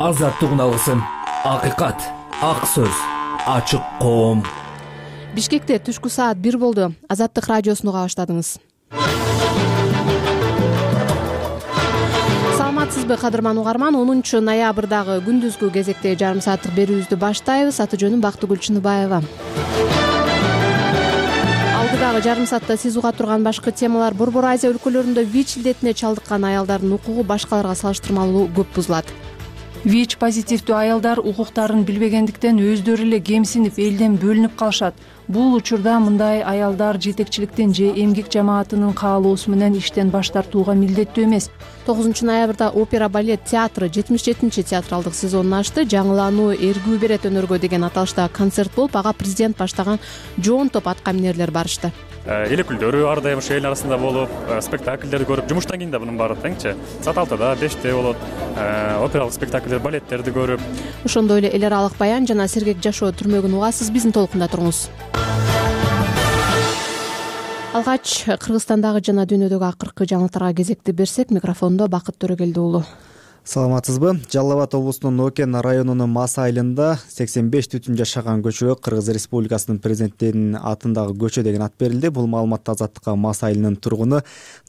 азаттык үналысын, акыйкат, ак сөз, ачык коом. Бишкекте түшкү саат 1 болду. Азаттык радиосуну уга баштадыңыз. Саламатсызбы, кадырман угарман? 10 ноябрдагы күндүзгү кезекте жарым сааттык берүүбүздү баштайбыз. Аты жөнүм Бактыгүл Чыныбаева. Алдыдагы жарым саатта сиз уга турган башкы темалар: Борбор Азия өлкөлөрүндө ВИЧ илдетине чалдыккан аялдардын укугу башкаларга салыштырмалуу көп бузулат. ВИЧ позитивдүү аялдар укуктарын билбегендиктен өздөрү эле кемсинип, элден бөлүнүп калышат. Бул учурда мындай аялдар жетекчиликтин же эмгек жамаатынын каалоосу менен иштен баш тартууга милдеттүү эмес. 9 ноябрда опера балет театры 77 театралдык сезонун ачты. Жаңылануу эргүү берет өнөргө деген аталыштагы концерт болуп, ага президент баштаган жоон топ аткаминерлер барышты. Эл өкүлдөрү ар дайым ошо эл арасында болуп, спектакльдерди көрүп, жумуштан кийин да мунун баары теңчи. Саат 6-да, 5-те болот. Опералык спектакльдер, балеттерди көрүп. Ошондой эле эл аралык баян жана сергек жашоо түрмөгүн угасыз. Биздин толкунда туруңуз. Алгач Кыргызстандагы жана дүйнөдөгү акыркы жаңылыктарга кезекти берсек, микрофондо Бакыт Төрөгелди уулу. Саламатсызбы? Жалал Абад облусунун Окен районунун Мас айылында 85 түтүн жашаган көчөгө Кыргыз Республикасынын президентинин атындагы көчө деген ат берилди. Бул маалыматты Азаттыкка Мас айылынын тургуну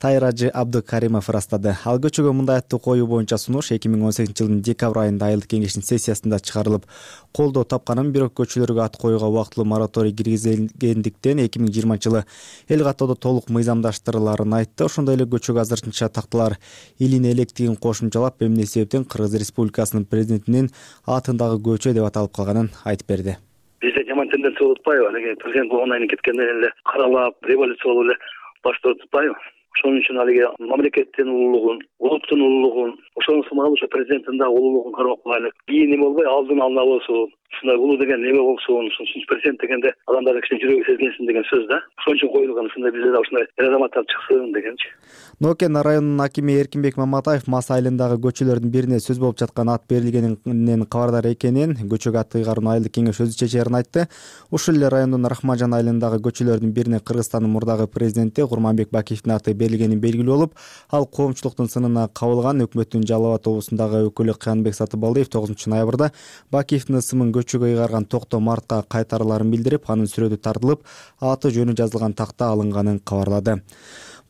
Тайражы Абдыкаримов ырастады. Ал көчөгө мындай атты коюу боюнча сунуш 2018 жылдын декабрь айында айылдык кеңештин сессиясында чыгарылып колдоо тапканын, бирок көчөлөргө ат коюуга убактылуу мораторий киргизилгендиктен 2020 жылы эл каттоодо толук мыйзамдаштырыларын айтты. Ошондой эле көчөгө азырынча такталар илине электигин кошумчалап, эмне себептен Кыргыз Республикасынын президентинин атындагы көчө деп аталып калганын айтып берди. Бизде жаман тенденция болуп атпайбы? Алиги президент болгондон кийин кеткенден эле каралап, революция болуп эле баш тартып атпайбы? Ошон үчүн алиги мамлекеттин улуулугун, улуттун улуулугун, ошонун сымал ошо президенттин да улуулугун кармап калайлык. Кийин эме болбой, алдын ала болсун. Ушундай улуу деген неме болсун, президент дегенде адамдар кичине жүрөгү сезгенсин деген сөз да. Ошон үчүн коюлган, ушундай бизде да ушундай эр азаматтар чыксын дегенчи. Нокен районунун акими Эркинбек Маматаев Мас айылындагы көчөлөрдүн бирине сөз болуп жаткан ат берилгенинен кабардар экенин, көчөгө ат ыйгарууну айылдык кеңеш өзү чечерин айтты. Ушул эле райондун Рахманжан айылындагы көчөлөрдүн бирине Кыргызстандын мурдагы президенти Курманбек Бакиевдин аты берилгени белгилүү болуп, ал коомчулуктун сынына кабылган. Өкмөттүн Жалал Абад облусундагы өкүлү Кыянбек Сатыбалдиев 9 ноябрда Бакиевдин ысымын көчөгө ыйгарган Токто Мартка кайтарыларын билдирип, анын сүрөтү тартылып, аты жөнү жазылган такта алынганын кабарлады.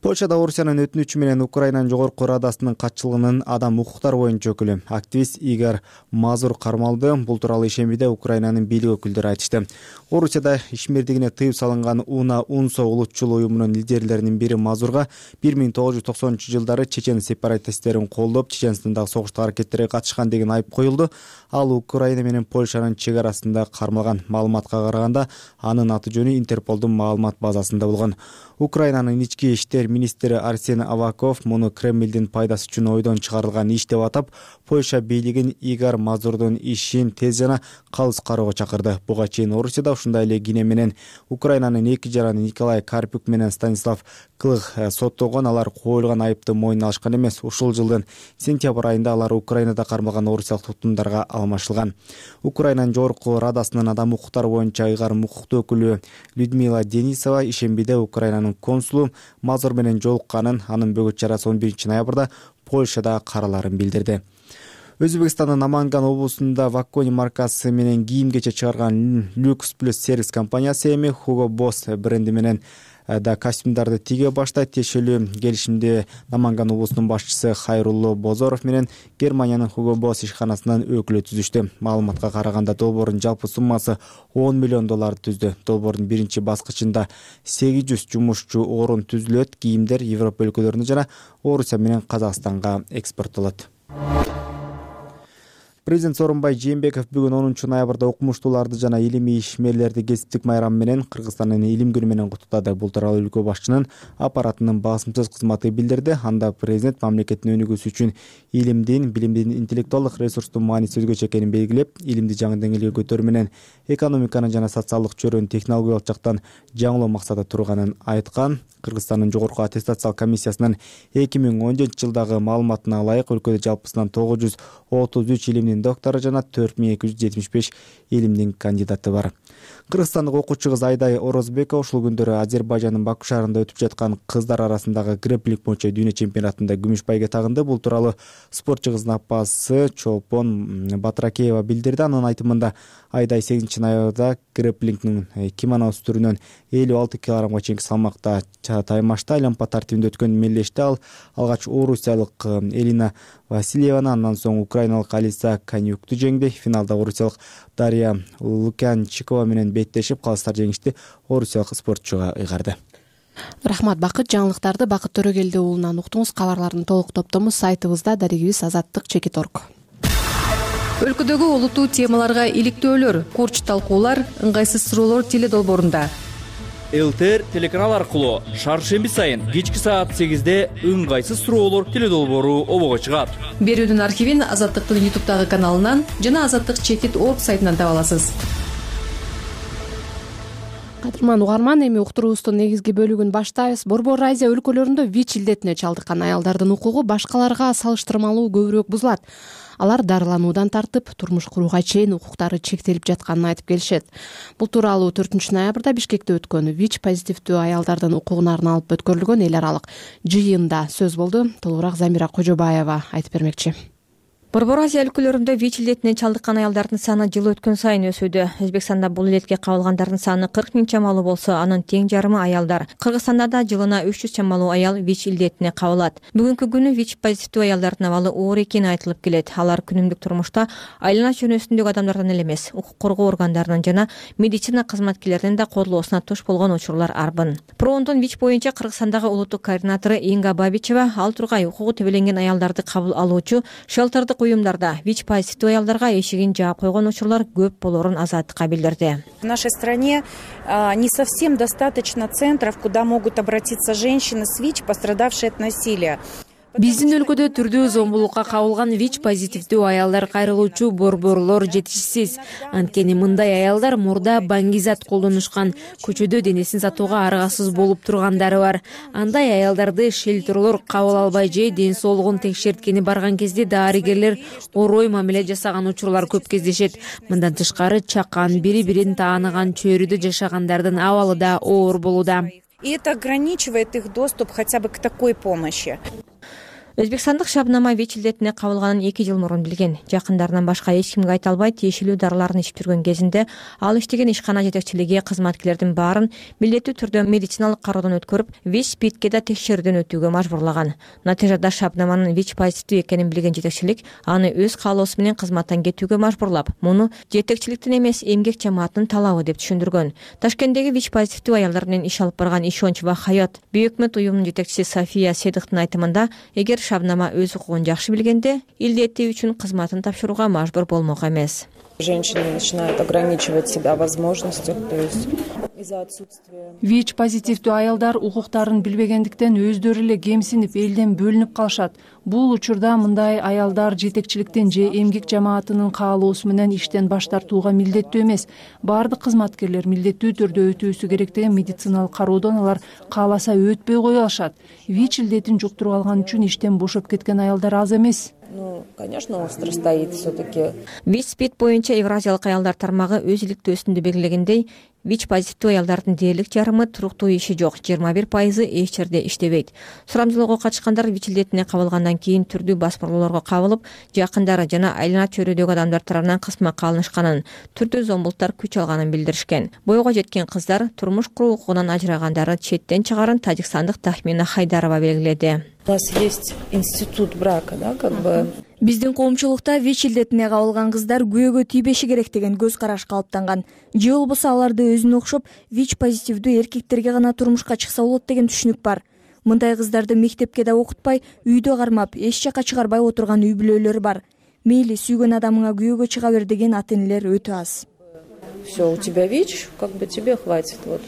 Польшада Орусиянын өтүнүчү менен Украинанын жогорку радасынын катчылыгынын адам укуктары боюнча өкүлү активист Игорь Мазур кармалды. Бул тууралуу ишембиде Украинанын бийлик өкүлдөрү айтышты. Орусияда ишмердигине тыюу салынган УНА-УНСО улутчул уюмунун лидерлеринин бири Мазурга 1990-жылдары чечен сепаратисттерин колдоп, Чеченстандагы согуштук аракеттерге катышкан деген айып коюлду. Ал Украина менен Польшанын чек арасында кармалган. Маалыматка караганда, анын аты жөнү Интерполдун маалымат базасында болгон. Украинанын ички иштер министри Арсен Аваков муну Кремлдин пайдасы үчүн ойдон чыгарылган иш деп атап, Польша бийлигин Игорь Мазурдун ишин тез жана калыс кароого чакырды. Буга чейин Орусияда ушундай эле кийне менен Украинанын эки жараны Николай Карпюк менен Станислав Клых соттолгон. Алар коюлган айыпты мойнуна алышкан эмес. Ушул жылдын сентябрь айында алар Украинада кармалган орусиялык туткундарга алмашылган. Украинанын жогорку радасынын адам укуктары боюнча ыйгарым укуктуу өкүлү Людмила Денисова ишембиде Украинанын консулу Мазур менен жолукканын, анын бөгөт чарасы 11 ноябрда Польшада караларын билдирди. Өзбекстандын Наманган облусунда Ваккони маркасы менен кийим-кече чыгарган Lux Plus сервис компаниясы эми Hugo Boss бренди менен да костюмдарды тиге баштайт. Тиешелүү келишимди Наманган облусунун башчысы Хайрулло Бозоров менен Германиянын Hugo Boss ишканасынын өкүлү түзүштү. Маалыматка караганда долбоордун жалпы суммасы $10 миллион түздү. Долбоордун биринчи баскычында 800 жумушчу орун түзүлөт. Кийимдер Европа өлкөлөрүнө жана Орусия менен Казакстанга экспорттолот. Президент Сооронбай Жээнбеков бүгүн 10 ноябрда окумуштууларды жана илимий ишмерлерди кесиптик майрам менен Кыргызстандын илим күнү менен куттуктады. Бул тууралуу өлкө башчынын аппаратынын басымсыз кызматы билдирди. Анда президент мамлекеттин өнүгүүсү үчүн илимдин, билимдин, интеллектуалдык ресурстун мааниси өзгөчө экенин белгилеп, илимди жаңы деңгээлге көтөрүү менен экономиканы жана социалдык чөйрөнү технологиялык жактан жаңылоо максаты турганын айткан. Кыргызстандын жогорку аттестациялык комиссиясынын 2017 жылдагы маалыматына ылайык өлкөдө жалпысынан 933 илимдин доктору жана 4275 илимдин кандидаты бар. Кыргызстандык окуучу кыз Айдай Орозбекова ушул күндөрү Азербайжандын Баку шаарында өтүп жаткан кыздар арасындагы грэпплинг боюнча дүйнө чемпионатында күмүш байге тагынды. Бул тууралуу спортчу кыздын апасы Чолпон Батракеева билдирди. Анын айтымында Айдай 8-ноябрда грэпплингдин кимоносы түрүнөн 56 килограммга чейинки салмакта таймашта айланма тартибинде өткөн мелдеште ал алгач орусиялык Элина Васильеваны, андан соң украиналык Алиса Конюкту жеңди. Финалда орусиялык Дарья Лукянчикова менен беттешип, калыстар жеңишти орусиялык спортчуга ыйгарды. Рахмат. Бакыт жаңылыктарды Бакыт Төрөгелди уулунан уктуңуз. Кабарлардын толук топтому сайтыбызда, дарегибиз azаттык.org. Өлкөдөгү олуттуу темаларга иликтөөлөр, курч талкуулар, ыңгайсыз суроолор теледолбоорунда. ЛТР телеканал аркылуу шаршемби сайын кечки саат 8-де ыңгайсыз суроолор теледолбоору обого чыгат. Берүүнүн архивин Азаттыктын YouTube'дагы каналынан жана azаттык.org сайтынан таба аласыз. Кадырман угарман, эми уктуруубуздун негизги бөлүгүн баштайбыз. Борбор Азия өлкөлөрүндө ВИЧ илдетине чалдыккан аялдардын укугу башкаларга салыштырмалуу көбүрөөк бузулат. Алар дарылануудан тартып, турмуш курууга чейин укуктары чектелип жатканын айтып келишет. Бул тууралуу 4-ноябрда Бишкекте өткөн ВИЧ позитивдүү аялдардын укугуна арналып өткөрүлгөн эл аралык жыйында сөз болду. Толугураак Замира Кожобаева айтып бермекчи. Борбор Азия өлкөлөрүндө ВИЧ илдетине чалдыккан аялдардын саны жыл өткөн сайын өсүүдө. Өзбекстанда бул илетке кабылгандардын саны 40 000 чамалуу болсо, анын тең жарымы аялдар. Кыргызстанда да жылына 300 чамалуу аял ВИЧ илдетине кабылат. Бүгүнкү күнү ВИЧ позитивдүү аялдардын абалы оор экени айтылып келет. Алар күнүмдүк турмушта айлана чөнөсүндөгү адамдардан эле эмес, укук коргоо органдарынын жана медицина кызматкерлеринин да колдоосуна туш болгон учурлар арбын. ПРООндун ВИЧ боюнча Кыргызстандагы улуттук координатору Инга Бабичева ал тургай укугу тебеленген аялдарды кабыл алуучу шелтердик уюмдарда ВИЧ позитивдүү аялдарга эшигин жаап койгон учурлар көп болорун Азаттыкка билдирди. В нашей стране не совсем достаточно центров, куда могут обратиться женщины с ВИЧ, пострадавшие от насилия. Биздин өлкөдө түрдүү зомбулукка кабылган ВИЧ позитивдүү аялдар кайрылуучу борборлор жетишсиз. Анткени мындай аялдар мурда баңгизат колдонушкан, көчөдө денесин сатууга аргасыз болуп тургандары бар. Андай аялдарды шелтерлор кабыл албай же ден соолугун текшерткени барган кезде дарыгерлер орой мамиле жасаган учурлар көп кездешет. Мындан тышкары чакан, бири-бирин тааныган чөйрөдө жашагандардын абалы да оор болууда. И это ограничивает их доступ хотя бы к такой помощи. Өзбекстандык Шабнама ВИЧ илдетине кабылганын 2 жыл мурун билген. Жакындарынан башка эч кимге айта албай тиешелүү дарыларын ичип жүргөн кезинде ал иштеген ишкана жетекчилиги кызматкерлердин баарын милдеттүү түрдө медициналык кароодон өткөрүп, ВИЧ-спидке да текшерүүдөн өтүүгө мажбурлаган. Натыйжада Шабнаманын ВИЧ позитивдүү экенин билген жетекчилик аны өз каалоосу менен кызматтан кетүүгө мажбурлап, муну жетекчиликтин эмес, эмгек жамаатынын талабы деп түшүндүргөн. Ташкенттеги ВИЧ позитивдүү аялдар менен иш алып барган Ишонч ва Хаят Бейөкмөт уюмунун жетекчиси София Седыктын айтымында, эгер Шабнама өз укугун жакшы билгенде, илдеттүү үчүн кызматын тапшырууга мажбур болмок эмес. Женщины начинают ограничивать себя возможностью, то есть из-за отсутствия. ВИЧ позитивдүү аялдар укуктарын билбегендиктен өздөрү эле кемсинип, элден бөлүнүп калышат. Бул учурда мындай аялдар жетекчиликтен же эмгек жамаатынын каалоосу менен иштен баш тартууга милдеттүү эмес. Бардык кызматкерлер милдеттүү түрдө өтүүсү керек деген медициналык кароодон алар кааласа өтпөй кое алышат. ВИЧ илдетин жуктуруп алган үчүн иштен бошоп кеткен аялдар аз эмес. Ну, конечно, остро стоит все-таки. ВИЧ-спид боюнча Евразиялык аялдар тармагы өз иликтөөсүндө белгилегендей, ВИЧ позитивдүү аялдардын дээрлик жарымы туруктуу иши жок, 21% эч жерде иштебейт. Сурамжылоого катышкандар ВИЧ илдетине кабылгандан кийин түрдүү басмырлоолорго кабылып, жакындары жана айлана чөйрөдөгү адамдар тарабынан кысмакка алынышканын, түрдүү зомбулуктар күч алганын билдиришкен. Боюга жеткен кыздар турмуш куруу укугунан ажырагандары четтен чыгарын тажикстандык Тахмина Хайдарова белгиледи. У нас есть институт брака, да, как бы. Биздин коомчулукта ВИЧ илдетине кабылган кыздар күйөөгө тийбеши керек деген көз караш калыптанган. Же болбосо аларды өзүнө окшоп ВИЧ позитивдүү эркектерге гана турмушка чыкса болот деген түшүнүк бар. Мындай кыздарды мектепке да окутпай, үйдө кармап, эч жака чыгарбай отурган үй бүлөлөр бар. Мейли сүйгөн адамыңа күйөөгө чыга бер деген ата-энелер өтө аз. Все, у тебя ВИЧ, как бы тебе хватит вот.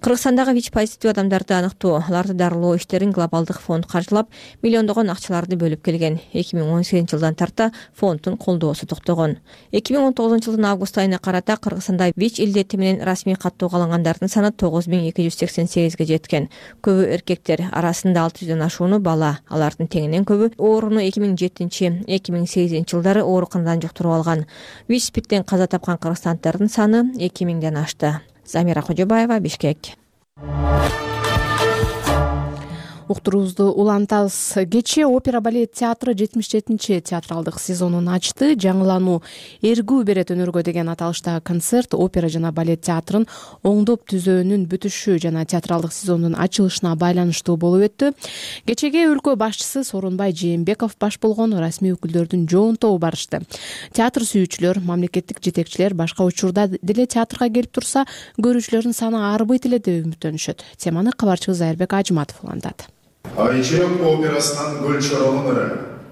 Кыргызстандагы ВИЧ позитивдүү адамдарды аныктоо, аларды дарылоо иштерин глобалдык фонд каржылап, миллиондогон акчаларды бөлүп келген. 2018 жылдан тарта фонддун колдоосу токтогон. 2019 жылдын август айына карата Кыргызстанда ВИЧ илдети менен расмий каттоого алынгандардын саны 9288-ге жеткен. Көбү эркектер, арасында 600дөн ашууну бала. Алардын теңинен көбү ооруну 2007-2008 жылдары ооруканадан жуктуруп алган. ВИЧ-спидтен каза тапкан кыргызстанддардын саны 2000ден ашты. Замира Кожобаева, Бишкек. Уктуруубузду улантабыз. Кечээ опера балет театры 77-чи театралдык сезонун ачты. Жаңылануу эргүү берет өнөргө деген аталыштагы концерт опера жана балет театрын оңдоп түзөөнүн бүтүшү жана театралдык сезондун ачылышына байланыштуу болуп өттү. Кечеге өлкө башчысы Сооронбай Жээнбеков баш болгон расмий өкүлдөрдүн жоон тобу барышты. Театр сүйүүчүлөр, мамлекеттик жетекчилер башка учурда деле театрга келип турса, көрүүчүлөрдүн саны арбыйт эле деп үмүттөнүшөт. Теманы кабарчыбыз Айырбек Ажыматов улантат. Айчырак операсынан Гүлчорон ыры,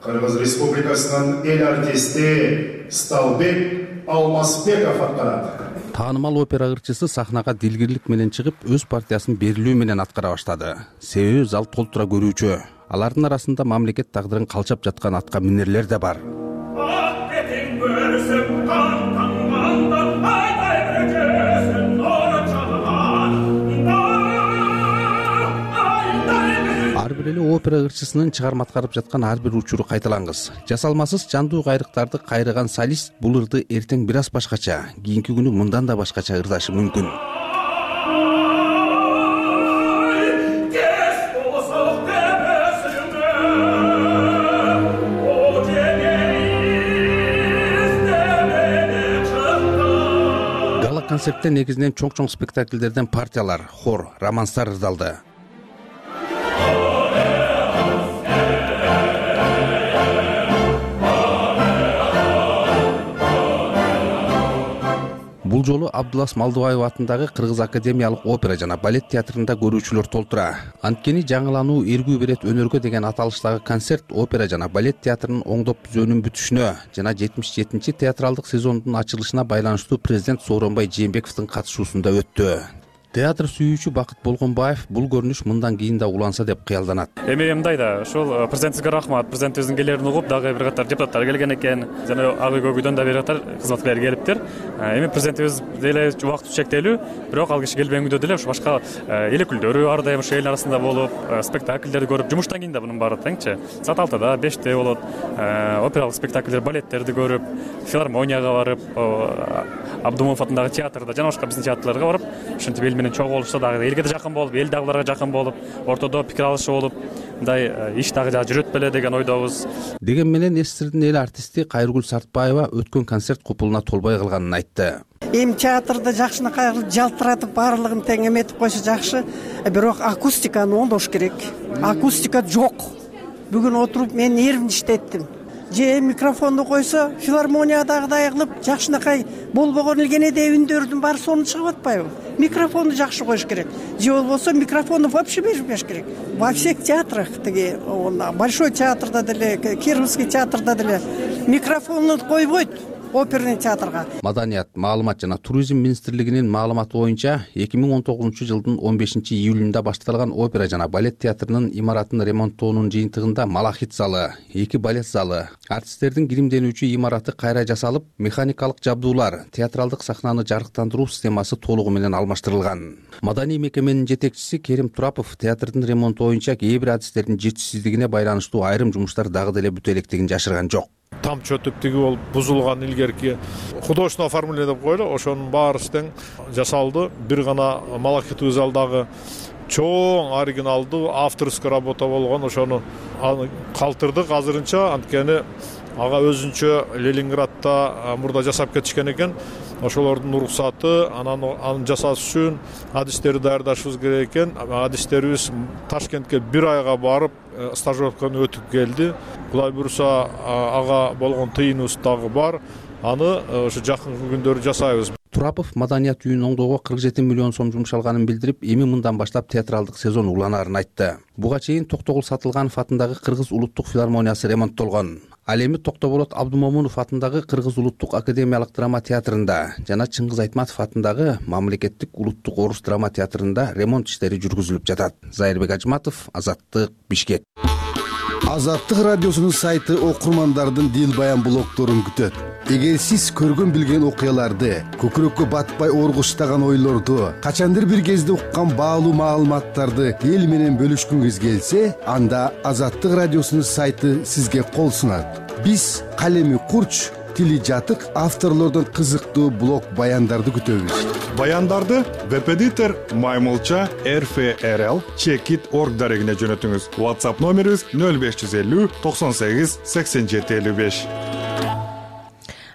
Кыргыз Республикасынан эл артисти Сталбек Алмазбеков аткарат. Таанымал опера ырчысы сахнага дилгирлик менен чыгып, өз партиясын берилүү менен аткара баштады. Себеби зал толтура көрүүчү. Алардын арасында мамлекет тагдырын калчап жаткан атка минерлер да бар. Ар бир эле опера ырчысынын чыгарма аткарып жаткан ар бир учуру кайталангыс. Жасалмасыз жандуу кайрыктарды кайрыган солист бул ырды эртең бир аз башкача, кийинки күнү мындан да башкача ырдашы мүмкүн. Гала концерттен негизинен чоң спектакльдерден партиялар, хор, романстар ырдалды. Бул жолу Абдулас Малдыбаев атындагы Кыргыз академиялык опера жана балет театрында көрүүчүлөр толтура. Анткени жаңылануу эргүү берет өнөргө деген аталыштагы концерт опера жана балет театрынын оңдоп түзөөнүн бүтүшүнө жана 77-чи театралдык сезондун ачылышына байланыштуу президент Сооронбай Жээнбековдун катышуусунда өттү. Театр сүйүүчү Бакыт Болгонбаев бул көрүнүш мындан кийин да уланса деп кыялданат. Эми мындай да, ошол президентибизге рахмат. Президентибиздин келерин угуп, дагы бир катар депутаттар келген экен. Жана ак үй көгүдөн да бир катар кызматкерлер келиптир. Эми президентибиз деле убакыт чектелүү, бирок ал киши келбегендө деле ошо башка эл өкүлдөрү ар дайым ошо эл арасында болуп, спектакльдерди көрүп, жумуштан кийин да мунун баары теңчи. Саат 6-да, 5-те болот. Опералык спектакльдер, балеттерди көрүп, филармонияга барып, Абдумов атындагы театрда жана башка биздин театрларга барып, ушинтип эл менен чогулушса дагы элге да жакын болуп, эл дагы буларга жакын болуп, ортодо пикир алышы болуп, мындай иш дагы жүрөт беле деген ойдобуз. Деген менен эсирдин эл артисти Кайргүл Сартбаева өткөн концерт купулуна толбой калганын айтты. Эми театрды жакшынакай кылып жалтыратып баарлыгын тең эметип койсо жакшы, бирок акустиканы оңдош керек. Акустика жок. Бүгүн отуруп мен нервин иштеттим. Же микрофонду койсо, филармониядагыдай кылып жакшынакай болбогон элгенеде үндөрдүн баары сонун чыгып атпайбы? Микрофонду жакшы коюш керек. Же болбосо микрофонду вообще бербеш керек. Во всех театрах, тиги Большой театрда деле, Кировский театрда деле микрофонду койбойт. Оперный театрга. Маданият, маалымат жана туризм министрлигинин маалыматы боюнча 2019 жылдын 15-июлунда башталган опера жана балет театрынын имаратын ремонттоонун жыйынтыгында Малахит залы, 2 балет залы, артисттердин киримденүүчү имараты кайра жасалып, механикалык жабдуулар, театралдык сахнаны жарыктандыруу системасы толугу менен алмаштырылган. Маданий мекеменин жетекчиси Керим Турапов театрдын ремонту боюнча кээ бир адистердин жетишсиздигине байланыштуу айрым жумуштар дагы деле бүтө электигин жашырган жок. Тамчы өтүп тиги болуп бузулган илгерки художественное оформление деп коелу, ошонун баары тең жасалды. Бир гана Малахит залдагы чоң оригиналдуу авторский работа болгон, ошону калтырдык азырынча, анткени ага өзүнчө Ленинградда мурда жасап кетишкен экен. Ошолордун уруксаты, аны жасаш үчүн адистерди даярдашыбыз керек экен. Адистерибиз Ташкентке 1 айга барып, стажировканы өтүп келди. Кудай буюрса, ага болгон тыйыныбыз дагы бар. Аны ошо жакынкы күндөрү жасайбыз. Курапов маданият үйүн оңдоого 47 миллион сом жумшалганын билдирип, эми мындан баштап театралдык сезон уланаарын айтты. Буга чейин Токтогул Сатылганов атындагы Кыргыз улуттук филармониясы ремонттолгон. Ал эми Токтоболот Абдумомунов атындагы Кыргыз улуттук академиялык драма театрында жана Чыңгыз Айтматов атындагы Мамлекеттик улуттук орус драма театрында ремонт иштери жүргүзүлүп жатат. Зайырбек Ажматов, Азаттык, Бишкек. Азаттык радиосунун сайты окурмандардын дил баян блогторун күтөт. Эгер сиз көргөн билген окуяларды, көкүрөккө батпай оргуштаган ойлорду, качандыр бир кезде уккан баалуу маалыматтарды эл менен бөлүшкүңүз келсе, анда Азаттык радиосунун сайты сизге кол сунат. Биз калеми курч, тили жатык авторлордон кызыктуу блог баяндарды күтөбүз. Баяндарды веб-эдитор Маймылча RFRL Checkit.org дарегине жөнөтүңүз. WhatsApp номерибиз 0550 98 87 55.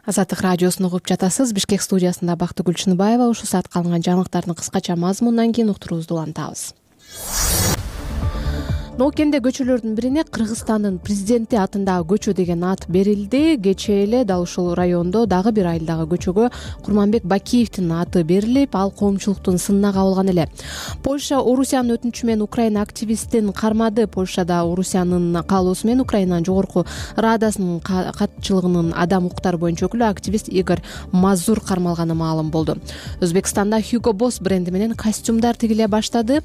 Азаттык радиосун угуп жатасыз. Бишкек студиясында Бактыгүл Чыныбаева. Ушул саатка алынган жаңылыктардын кыскача мазмунунан кийин уктуруубузду улантабыз. Ноокенде көчөлөрдүн бирине Кыргызстандын президенти атындагы көчө деген ат берилди. Кечээ эле дал ушул райондо дагы бир айылдагы көчөгө Курманбек Бакиевдин аты берилип, ал коомчулуктун сынына кабылган эле. Польша Орусиянын өтүнүчү менен Украина активистин кармады. Польшада Орусиянын каалоосу менен Украинанын жогорку Радасынын катчылыгынын адам укуктары боюнча өкүлү активист Игорь Мазур кармалганы маалым болду. Өзбекстанда Hugo Boss бренди менен костюмдар тигиле баштады.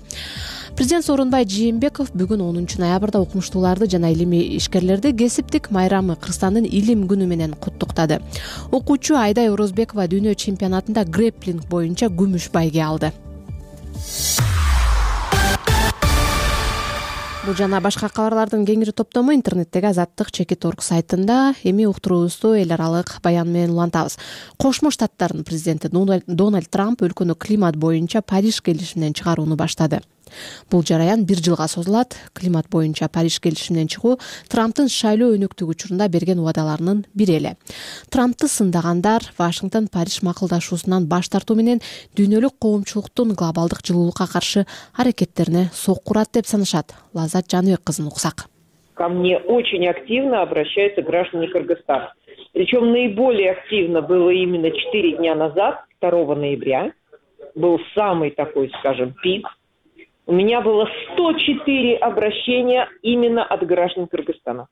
Президент Сооронбай Жээнбеков бүгүн 10 ноябрда окумуштууларды жана илимий ишкерлерди кесиптик майрамы Кыргызстандын илим күнү менен куттуктады. Окуучу Айдай Орозбекова дүйнө чемпионатында грэпплинг боюнча күмүш байге алды. Бул жана башка кабарлардын кеңири топтому интернеттеги Азаттык.org сайтында. Эми уктуруубузду эл аралык баян менен улантабыз. Кошмо Штаттардын президенти Дональд Трамп өлкөнү климат боюнча Париж келишиминен чыгарууну баштады. Бул жараян 1 жылга созулат. Климат боюнча Париж келишиминен чыгуу Трамптын шайлоо өнөктүгү учурунда берген убадаларынын бири эле. Трамптты сындагандар Вашингтон Париж макулдашуусунан баш тартуу менен дүйнөлүк коомчулуктун глобалдык жылуулукка каршы аракеттерине сокку урат деп санашат. Лаззат Жаныбек кызын уксак. Ко мне очень активно обращаются граждане Кыргызстана. Причем наиболее активно было именно 4 дня назад, 2 ноября. Был самый такой, скажем, пик. У меня было 104 обращения именно от граждан Кыргызстана.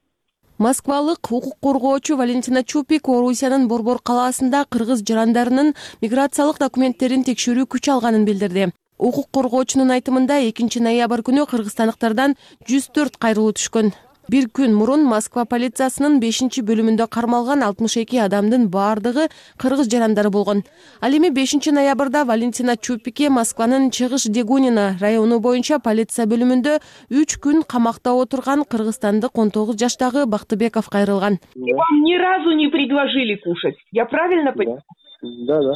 Москвалык укук коргоочу Валентина Чупик Орусиянын Борбор калаасында кыргыз жарандарынын миграциялык документтерин текшерүү күч алганын билдирди. Укук коргоочунун айтымында 2 ноябрь күнү кыргызстандыктардан 104 кайрылуу түшкөн. Bir күн мурун Москва полициясынын 5-бөлүмүндө кармалган 62 адамдын баардыгы кыргыз жарандары болгон. Ал эми 5 ноябрда Валентина Чупикке Москванын Чыгыш Дегунина району боюнча полиция бөлүмүндө 3 күн камакта отурган кыргызстандык 19 жаштагы Бактыбеков кайрылган. Вам ни разу не предложили кушать. Я правильно понимаю? Да.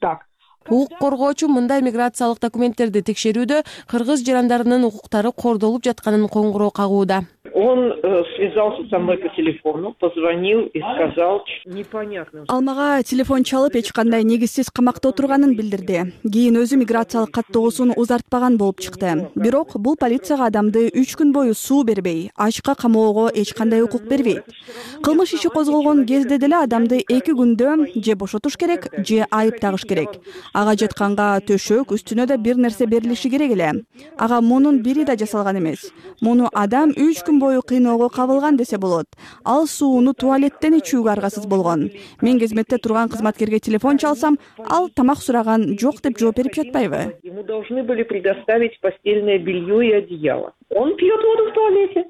Так. Укук коргоочу мындай миграциялык документтерди текшерүүдө кыргыз жарандарынын укуктары кордолуп жатканын коңгуроо кагууда. Он связался со мной по телефону, позвонил и сказал непонятно. Ал мага телефон чалып эч кандай негизсиз камакта отурганын билдирди. Кийин өзү миграциялык каттоосун узартпаган болуп чыкты. Бирок бул полицияга адамды 3 күн бою суу бербей, ачка камоого эч кандай укук бербейт. Кылмыш иши козголгон кезде деле адамды 2 күндө же бошотуш керек, же айып тагыш керек. Ага жатканга төшөк, үстүнө да бир нерсе берилиши керек эле. Ага мунун бири да жасалган эмес. Муну адам 3 күн бою кыйноого кабылган десе болот. Ал сууну туалеттен ичүүгө аргасыз болгон. Мен кызметте турган кызматкерге телефон чалсам, ал тамак сураган жок деп жооп берип жатпайбы? Ему должны были предоставить постельное белье и одеяло. Он пьет воду в туалете.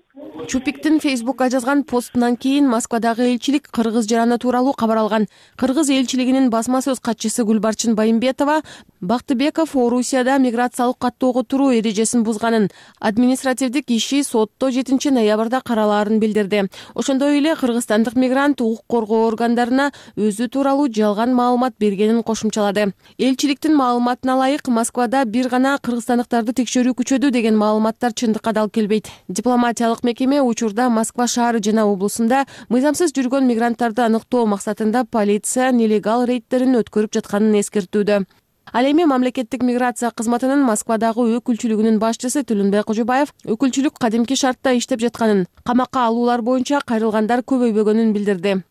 Чупиктин Фейсбукка жазган постунан кийин Москвадагы элчилик кыргыз жараны тууралуу кабар алган. Кыргыз элчилигинин басма сөз катчысы Гүлбарчын Байымбетова Бактыбеков Орусияда миграциялык каттоого туруу эрежесин бузганын, административдик иши сотто 7 ноябрда каралаарын билдирди. Ошондой эле кыргызстандык мигрант укук коргоо органдарына өзү тууралуу жалган маалымат бергенин кошумчалады. Элчиликтин маалыматына ылайык Москвада бир гана кыргызстандыктарды текшерүү күчөдү деген маалыматтар чындыкка дал келбейт. Дипломатиялык мекеме учурда Москва шаары жана облусунда мыйзамсыз жүргөн мигранттарды аныктоо максатында полиция нелегал рейдтерин өткөрүп жатканын эскертүүдө. Ал эми мамлекеттик миграция кызматынын Москвадагы өкүлчүлүгүнүн башчысы Түлүнбек Кожобаев өкүлчүлүк кадимки шартта иштеп жатканын, камакка алуулар боюнча кайрылгандар көбөйбөгөнүн билдирди.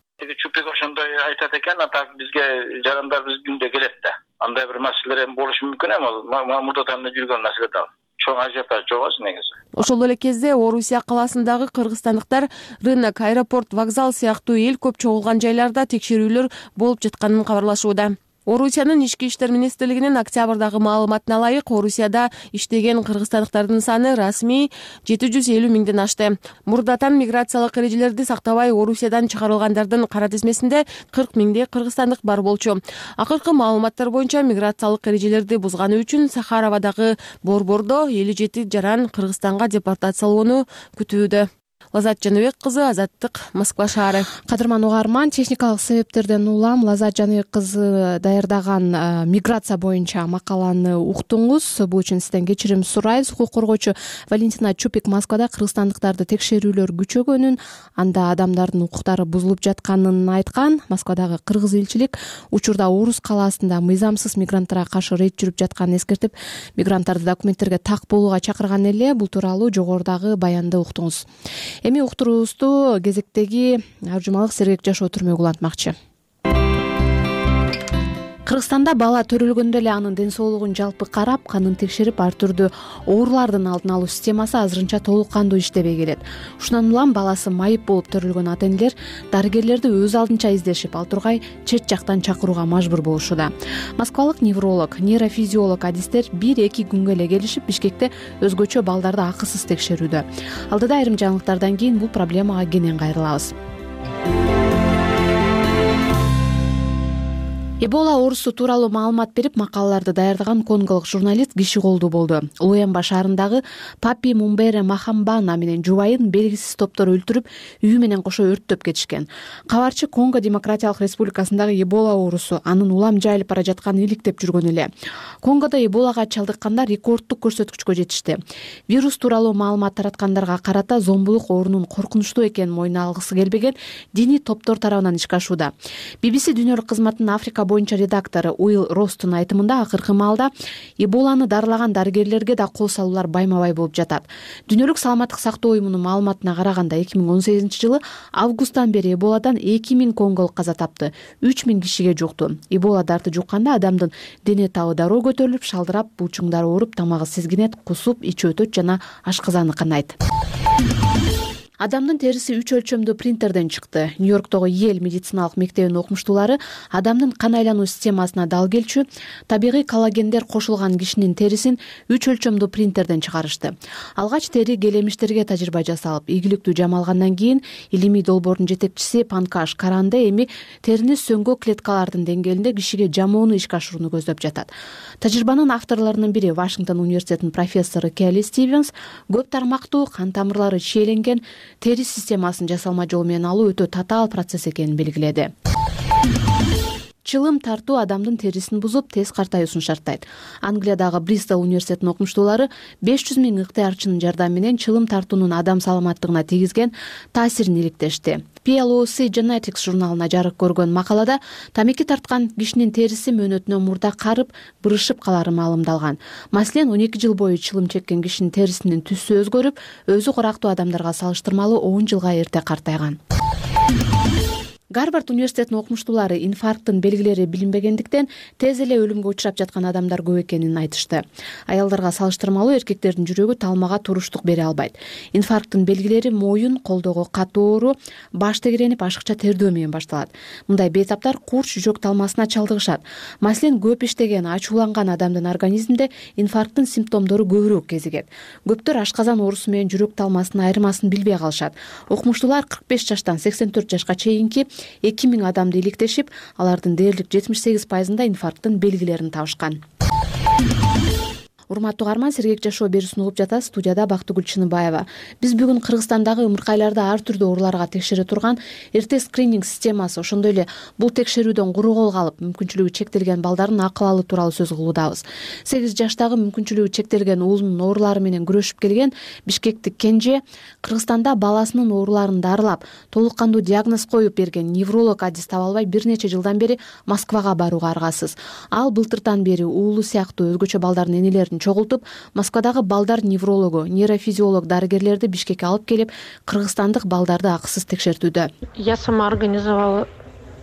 Чупик ошондой айтат экен, а так бизге жарандарыбыз күндө келет да. Андай бир маселелер эми болушу мүмкүн эми, ал мурда танда жүргөн маселе да. Чоң ажиотаж жок негизи. Ошол эле кезде Орусия калаасындагы кыргызстандыктар рынок, аэропорт, вокзал сыяктуу эл көп чогулган жайларда текшерүүлөр болуп жатканын кабарлашууда. Орусиянын ички иштер министрлигинин октябрдагы маалыматына ылайык, Орусияда иштеген кыргызстандыктардын саны расмий 750 миңден ашты. Мурдатан миграциялык эрежелерди сактабай Орусиядан чыгарылгандардын кара тизмесинде 40 миңдей кыргызстандык бар болчу. Акыркы маалыматтар боюнча миграциялык эрежелерди бузганы үчүн Сахаровадагы борбордо 57 жаран Кыргызстанга депортациялоону күтүүдө. Лазат Жаныбек кызы, Азаттык, Москва шаары. Кадырман угарман, техникалык себептерден улам Лазат Жаныбек кызы даярдаган миграция боюнча макаланы уктуңуз. Бул үчүн сизден кечирим сурайбыз. Укук коргоочу Валентина Чупик Москвада кыргызстандыктарды текшерүүлөр күчөгөнүн, анда адамдардын укуктары бузулуп жатканын айткан. Москвадагы кыргыз элчилик учурда Орус калаасында мыйзамсыз мигранттарга каршы рейд жүрүп жатканын эскертип, мигранттарды документтерге так болууга чакырган эле. Бул тууралуу жогорудагы баянды уктуңуз. Эми уктуруубузду кезектеги Аржумалык Сергек Жашоо түрмөгү улантмакчы. Кыргызстанда бала төрөлгөндө эле анын ден соолугун жалпы карап, канын текшерип, ар түрдүү оорулардын алдын алуу системасы азырынча толук кандуу иштебей келет. Ушундан улам баласы майып болуп төрөлгөн ата-энелер дарыгерлерди өз алдынча издешип, ал тургай чет жактан чакырууга мажбур болушууда. Москвалык невролог, нейрофизиолог адистер 1-2 күнгө эле келишип, Бишкекте өзгөчө балдарды акысыз текшерүүдө. Алдыда айрым жаңылыктардан кийин бул проблемага кенен кайрылабыз. Эбола оорусу тууралуу маалымат берип, макалаларды даярдаган конголук журналист киши колдуу болду. Луэмба шаарындагы Папи Мумбере Махамбана менен жубайын белгисиз топтор өлтүрүп, үйү менен кошо өрттөп кетишкен. Кабарчы Конго Демократиялык Республикасындагы Эбола оорусу анын улам жайылып бара жатканын иликтеп жүргөн эле. Конгодо Эболага чалдыккандар рекордтук көрсөткүчкө жетишти. Вирус тууралуу маалымат тараткандарга карата зомбулук оорунун коркунучтуу экенин мойнуна алгысы келбеген диний топтор тарабынан ишке ашууда. BBC дүйнөлүк кызматынын Африка боюнча редактору Уилл Ростун айтымында, акыркы маалда Эболаны дарылаган дарыгерлерге да кол салуулар байма-бай болуп жатат. Дүйнөлүк саламаттык сактоо уюмунун маалыматына караганда 2018-жылы августтан бери Эболадан 2000 конголук каза тапты, 3000 кишиге жукту. Эбола дарты жукканда адамдын дене табы дароо көтөрүлүп, шалдырап, буучуңдары ооруп, тамагы сезгинет, кусуп, ичи өтөт жана ашказаны канайт. Адамдын териси 3 өлчөмдүү принтерден чыкты. Нью-Йорктогу Йель медициналык мектебинин окумуштуулары адамдын кан айлануу системасына дал келчү табигый коллагендер кошулган кишинин терисин 3 өлчөмдүү принтерден чыгарышты. Алгач тери келемиштерге тажрыйба жасалып, ийгиликтүү жамалгандан кийин илимий долбоордун жетекчиси Панкаш Каранде эми терини сөңгө клеткалардын деңгээлинде кишиге жамоону ишке ашырууну көздөп жатат. Тажрыйбанын авторлорунун бири Вашингтон университетинин профессору Келли Стивенс көп тармактуу кан тамырлары чийеленген тери системасын жасалма жол менен алуу өтө татаал процесс экенин белгиледи. Чылым тартуу адамдын терисин бузуп, тез картаюусун шарттайт. Англиядагы Бристол университетинин окумуштуулары 500 000 ыктыярчынын жардамы менен чылым тартуунун адам саламаттыгына тийгизген таасирин иликтешти. PLOC Genetics журналына жарык көргөн макалада тамеки тарткан кишинин териси мөөнөтүнө мурда карып, бырышып калары маалымдалган. Маселен, 12 жыл бою чылым чеккен кишинин терисинин түсү өзгөрүп, өзү курактуу адамдарга салыштырмалуу 10 жылга эрте картайган. Гарвард университетинин окумуштуулары инфаркттын белгилери билинбегендиктен тез эле өлүмгө учурап жаткан адамдар көп экенин айтышты. Аялдарга салыштырмалуу эркектердин жүрөгү талмага туруштук бере албайт. Инфаркттын белгилери моюн, колдогу катуу оору, баш тегеренип, ашыкча тердөө менен башталат. Мындай бейтаптар курч жүрөк талмасына чалдыгышат. Маселен, көп иштеген, ачууланган адамдын организминде инфаркттын симптомдору көбүрөөк кезигет. Көптөр ашказан оорусу менен жүрөк талмасынын айырмасын билбей калышат. Окумуштуулар 45 жаштан 84 жашка чейинки 2000 адамды иликтешип, алардын дээрлик 78%-ында инфаркттын белгилерин табышкан. Урматтуу угарман, Сергек Жашоо берүүсүн угуп жатасыз. Студияда Бактыгүл Чыныбаева. Биз бүгүн Кыргызстандагы ымыркайларды ар түрдүү ооруларга текшере турган эрте скрининг системасы, ошондой эле бул текшерүүдөн куру кол калып, мүмкүнчүлүгү чектелген балдардын акыл алуу тууралуу сөз кылуудабыз. 8 жаштагы мүмкүнчүлүгү чектелген уулунун оорулары менен күрөшүп келген бишкектик Кенже Кыргызстанда баласынын ооруларын дарылап, толук кандуу диагноз коюп берген невролог адис таба албай бир нече жылдан бери Москвага барууга аргасыз. Ал былтыртан бери уулу сыяктуу өзгөчө балдардын энелерин чогултуп, Москвадагы балдар неврологу, нейрофизиолог дарыгерлерди Бишкекке алып келип, кыргызстандык балдарды акысыз текшертүүдө. Я сама организовала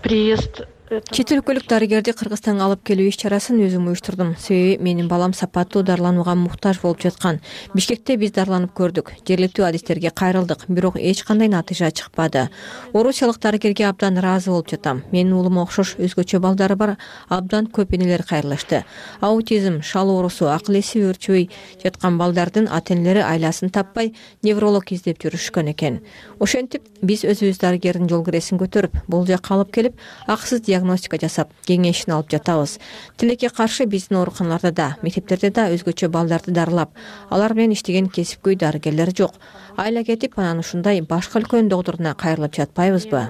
приезд. Чет өлкөлүк дарыгерди Кыргызстанга алып келүү иш чарасын өзүм уюштурдум. Себеби менин балам сапаттуу дарыланууга муктаж болуп жаткан. Бишкекте биз дарыланып көрдүк. Жергиликтүү адистерге кайрылдык, бирок эч кандай натыйжа чыкпады. Орусиялык дарыгерге абдан ыраазы болуп жатам. Менин уулума окшош өзгөчө балдары бар абдан көп энелер кайрылышты. Аутизм, шал оорусу, акыл эси өөрчүбөй жаткан балдардын ата-энелери айласын таппай невролог издеп жүрүшкөн экен. Ошентип биз өзүбүз дарыгердин жол киресин көтөрүп, бул жакка алып келип, акысыз диагностика жасап, кеңешин алып жатабыз. Тилекке каршы биздин ооруканаларда да, мектептерде да өзгөчө балдарды дарылап, алар менен иштеген кесипкөй дарыгерлер жок. Айла кетип, анан ушундай башка өлкөнүн доктуруна кайрылып жатпайбызбы?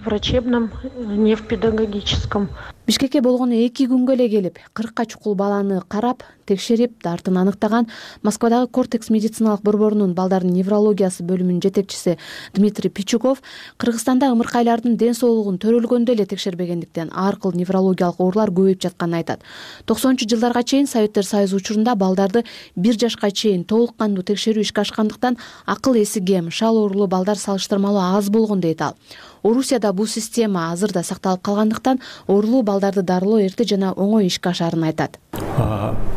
Врачебном, не в педагогическом. Бишкекке болгону 2 күнгө эле келип, 40 чукул баланы карап, текшерип, дартын аныктаган Москвадагы Кортекс медициналык борборунун балдардын неврологиясы бөлүмүнүн жетекчиси Дмитрий Пичугов Кыргызстанда ымыркайлардын ден соолугун төрөлгөндө эле текшербегендиктен ар кыл неврологиялык оорулар көбөйүп жатканын айтат. 90-жылдарга чейин Советтер Союзу учурунда балдарды 1 жашка чейин толук кандуу текшерүү ишке ашкандыктан акыл эси кем, шал оорулуу балдар салыштырмалуу аз болгон дейт ал. Орусияда бул система азыр да сакталып калгандыктан оорулуу балдарды дарылоо эрте жана оңой ишке ашарын айтат.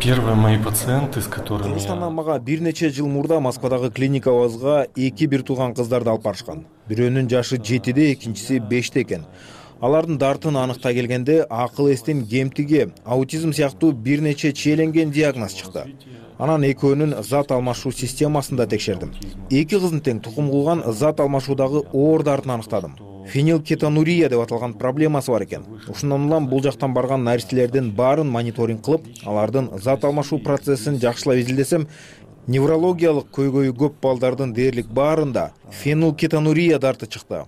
Первые мои пациенты, с которыми... Кыргызстандан мага бир нече жыл мурда Москвадагы клиникабызга 2 бир тууган кыздарды алып барышкан. Бирөөнүн жашы 7-де, экинчиси 5-те экен. Алардын дартын аныктай келгенде акыл эстин кемтиги, аутизм сыяктуу бир нече чиеленген диагноз чыкты. Анан экөөнүн зат алмашуу системасын да текшердим. 2 кыздын тең тукум кылган зат алмашуудагы оор дартын аныктадым. Фенилкетонурия деп аталган проблемасы бар экен. Ушундан улам бул жактан барган наристелердин баарын мониторинг кылып, алардын зат алмашуу процессин жакшылап изилдесем, неврологиялык көйгөйү көп балдардын дээрлик баарында фенилкетонурия дарты чыкты.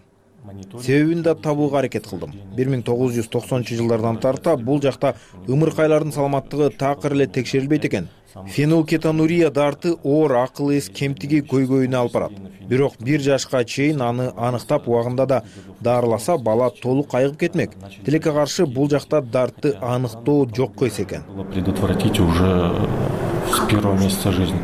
Себебин да табууга аракет кылдым. 1990-жылдардан тарта бул жакта ымыркайлардын саламаттыгы такыр эле текшерилбейт экен. Фенилкетонурия дарты оор акыл эс кемтиги көйгөйүнө алып барат. Бирок 1 жашка чейин аны аныктап убагында да дарыласа, бала толук айыгып кетмек. Тилекке каршы бул жакта дартты аныктоо жокко эс экен. Предотвратить уже с первого месяца жизни.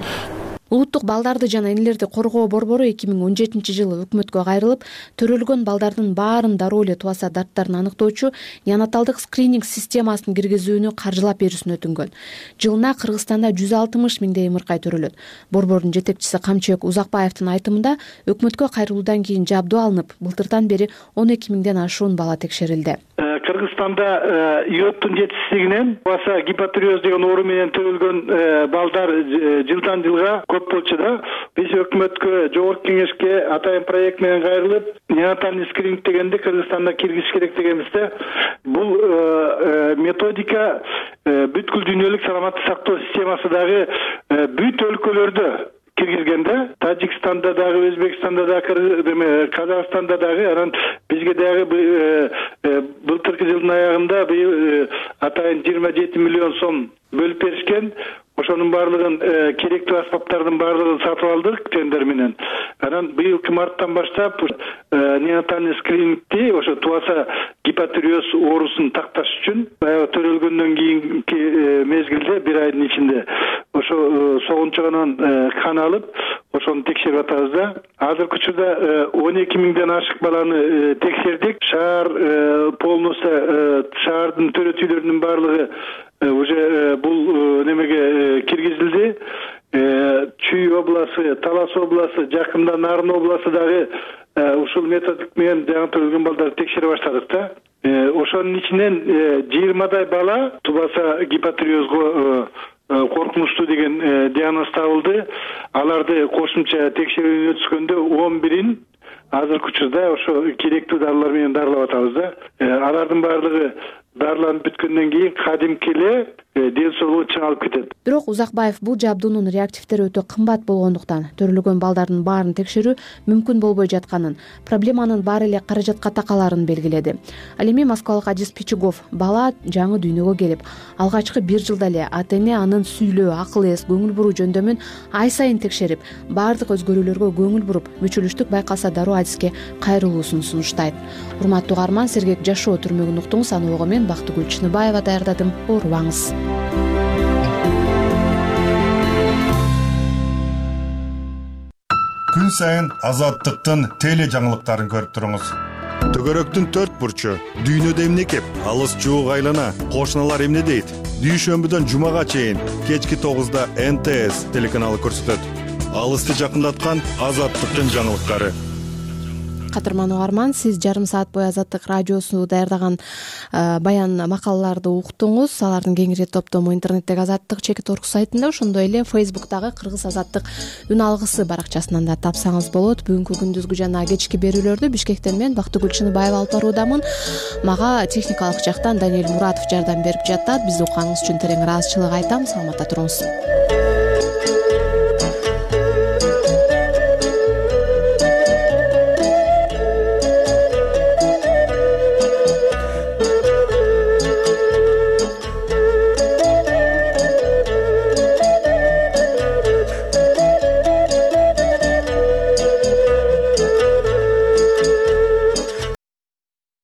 Улуттук балдарды жана энелерди коргоо борбору 2017-жылы өкмөткө кайрылып, төрөлгөн балдардын баарын дароо эле тубаса дарттарын аныктоочу неонаталдык скрининг системасын киргизүүнү каржылап берүүсүн өтүнгөн. Жылына Кыргызстанда 160 миңдей ымыркай төрөлөт. Борбордун жетекчиси Камчыбек Узакбаевдин айтымында, өкмөткө кайрылуудан кийин жабдуу алынып, былтырдан бери 12 миңден ашуун бала текшерилди. Кыргызстанда иоттун жетишсиздигинен баса гипотиреоз деген оору менен төрөлгөн балдар жылдан жылга көп болчу да. Биз өкмөткө, жогорку кеңешке атайын проект менен кайрылып, неонатальный скрининг дегенди Кыргызстанда киргизиш керек дегенбизде, бул методика бүткүл дүйнөлүк саламаттык сактоо системасы дагы бүт өлкөлөрдө киргизгенде, Тажикстанда дагы, Өзбекстанда дагы, Казакстанда дагы, анан бизге дагы былтыркы жылдын аягында атайын 27 миллион сом бөлүп беришкен. Ошонун баардыгын керектүү аспаптардын баардыгын сатып алдык тендер менен. Анан быйылкы марттан баштап неонатальный скринингти ошо тубаса гипотиреоз оорусун такташ үчүн баягы төрөлгөндөн кийинки мезгилде 1 айдын ичинде ошо согунчугунан кан алып, ошону текшерип атабыз да. Азыркы учурда 12 миңден ашык баланы текшердик. Шаар полностью шаардын төрөтүүлөрүнүн баардыгы уже бул немеге киргизилди. Чүй областы, Талас областы, жакында Нарын областы дагы ушул методик менен жаңы төрөлгөн балдарды текшере баштадык да. Ошонун ичинен 20дай бала тубаса гипотиреозго коркунучтуу деген диагноз табылды. Аларды кошумча текшерүүдөн өткөндө 11-ин азыркы учурда ошо керектүү дарылар менен дарылап атабыз да. Алардын баардыгы дарыланып бүткөндөн кийин кадимки эле ден соолугу чыңалып кетет. Бирок Узакбаев бул жабдуунун реактивдери өтө кымбат болгондуктан төрөлгөн балдардын баарын текшерүү мүмкүн болбой жатканын, проблеманын баары эле каражатка такаларын белгиледи. Ал эми москвалык адис Пичугов бала жаңы дүйнөгө келип, алгачкы 1 жылда эле ата-эне анын сүйлөө, акыл эс, көңүл буруу жөндөмүн ай сайын текшерип, баардык өзгөрүүлөргө көңүл буруп, мүчүлүштүк байкалса дароо адиске кайрылуусун сунуштайт. Урматтуу угарман, сергек жашоо түрмөгүн уктуңуз. Аны угуу мен Бактыгүл Чыныбаева даярдадым. Оорубаңыз. Күн сайын Азаттыктын теле жаңылыктарын көрүп туруңуз. Төгөрөктүн төрт бурчу, дүйнөдө эмне кеп, алыс жуук айлана, кошуналар эмне дейт? Дүйшөмбүдөн жумага чейин кечки 9-да НТС телеканалы көрсөтөт. Алысты жакындаткан Азаттыктын жаңылыктары. Кадырман угарман, сиз жарым саат бою Азаттык радиосу даярдаган баян макалаларды уктуңуз. Алардын кеңири топтому интернеттеги Азаттык.org сайтында, ошондой эле Facebook'тагы Кыргыз Азаттык үн алгысы баракчасынан да тапсаңыз болот. Бүгүнкү күндүзгү жана кечки берүүлөрдү Бишкектен мен Бактыгүл Чыныбаева алып баруудамын. Мага техникалык жактан Даниэль Муратов жардам берип жатат. Бизди укканыңыз үчүн терең ыраазычылык айтам. Саламатта туруңуз.